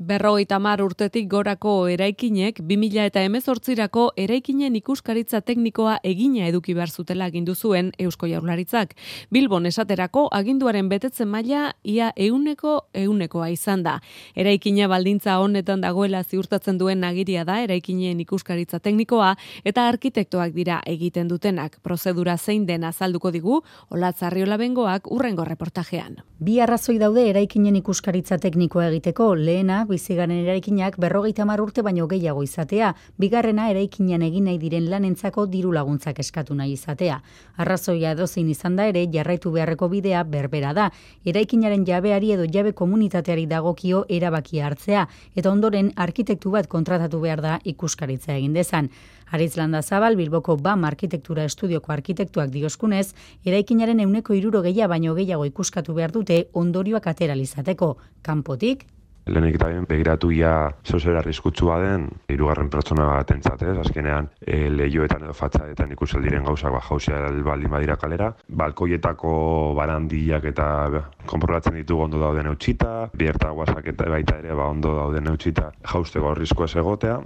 50 urtetik gorako eraikinek 2018rako eraikinen ikuskaritza teknikoa egina eduki behar zutela agindu zuen Eusko Jaurlaritzak. Bilbon esaterako aginduaren betetzen maila ia 100%koa izan da. Eraikina baldintza honetan dagoela ziurtatzen duen agiria da eraikinen ikuskaritza teknikoa eta arkitektoak dira egiten dutenak. Prozedura zein den azalduko digu Olatz Arriola Bengoak hurrengo reportajean. Bi arrazoi daude eraikinen ikuskaritza teknikoa egiteko. Lehena, bizigaren eraikinak 50 urte baino gehiago izatea, bigarrena eraikinean egin nahi diren lanentzako diru laguntzak eskatu nahi izatea. Arrazoia edozein izan da ere, jarraitu beharreko bidea berbera da. Eraikinaren jabeari edo jabe komunitateari dagokio erabakia hartzea, eta ondoren arkitektu bat kontratatu behar da ikuskaritza egin dezan. Aritz Landazabal, Bilboko BAM arkitektura estudioko arkitektuak dioskunez, eraikinaren 60% baino gehiago ikuskatu behar dute ondorioak ateralizateko. Kanpotik, lehenik eta begiratu ia zozera arriskutsua den hirugarren pertsona batentzat, azkenean lehioetan edo fatxadetan ikusel diren gauzak jauzia baldin badira kalera, balkoietako barandiak eta konprobatzen ditugu ondo dauden eutxita, bierta guazak eta baita ere ondo dauden eutxita jausteko arriskua ez egotea.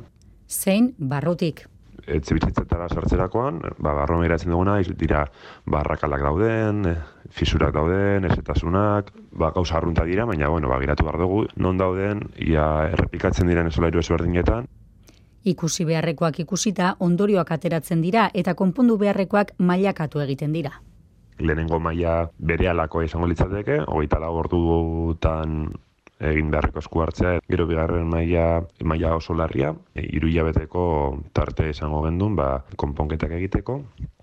Zein barrutik. Etxebizitzetara sartzerakoan, barruan begiratzen duguna, dira barrakalak dauden, fisurak dauden, ezetasunak, gauza arrunta dira, baina begiratu behar dugu, non dauden, ia errepikatzen diren solairu ezberdinetan. Ikusi beharrekoak ikusita, ondorioak ateratzen dira eta konpondu beharrekoak mailakatu egiten dira. Lehenengo maila berehalako izango litzateke, 24 ordutan egin beharreko esku hartzea, gero bigarren maila oso larria, 3 hilabeteko tarte izango gendun, konponketak egiteko.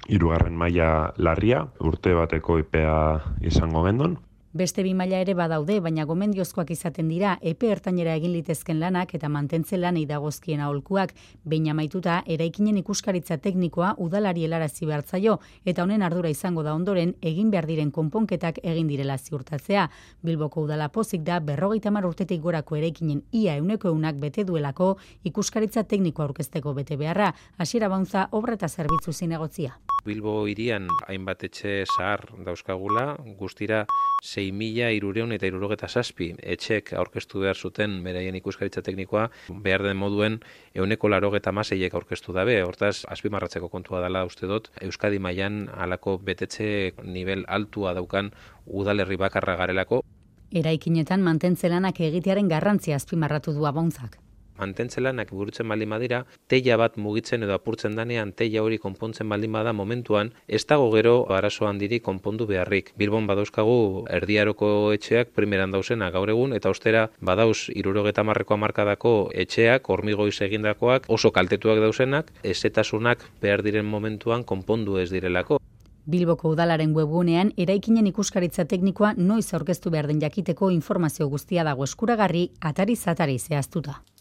3. maila larria, urte bateko epea izango gendun. Beste 2 maila ere badaude, baina gomendiozkoak izaten dira epe ertainera egin litezken lanak eta mantentze lanei dagozkien aholkuak. Behin amaituta, eraikinen ikuskaritza teknikoa udalari helarazi behar zaio eta honen ardura izango da ondoren egin behar diren konponketak egin direla ziurtatzea. Bilboko udala pozik da 50 urtetik gorako eraikinen ia 100% bete duelako ikuskaritza teknikoa aurkezteko bete beharra. Hasiera Bauntza obra eta zerbitzu zinegotzia. Bilbo hirian hainbat etxe zahar dauzkagula, guztira 6.377 etxek aurkeztu behar zuten beraien ikuskaritza teknikoa, behar den moduen 196 aurkeztu dabe. Hortaz, azpimarratzeko kontua dela uste dut, Euskadi mailan halako betetxe nivel altua daukan udalerri bakarra garelako. Eraikinetan mantentze lanak egitearen garrantzia azpimarratu du Abauntzak. Mantentze lanak burutzen baldin badira, teila bat mugitzen edo apurtzen danean, teila hori konpontzen baldin bada momentuan, ez dago gero arazo handiri konpondu beharrik. Bilbon badauzkagu erdiaroko etxeak primeran dauzena gaur egun, eta ostera badauz 70ko hamarkadako etxeak, hormigoiz egindakoak, oso kaltetuak dauzenak, ezetasunak behar diren momentuan konpondu ez direlako. Bilboko udalaren webgunean eraikinen ikuskaritza teknikoa noiz aurkeztu behar den jakiteko informazio guztia dago eskuragarri atariz atari zehaztuta.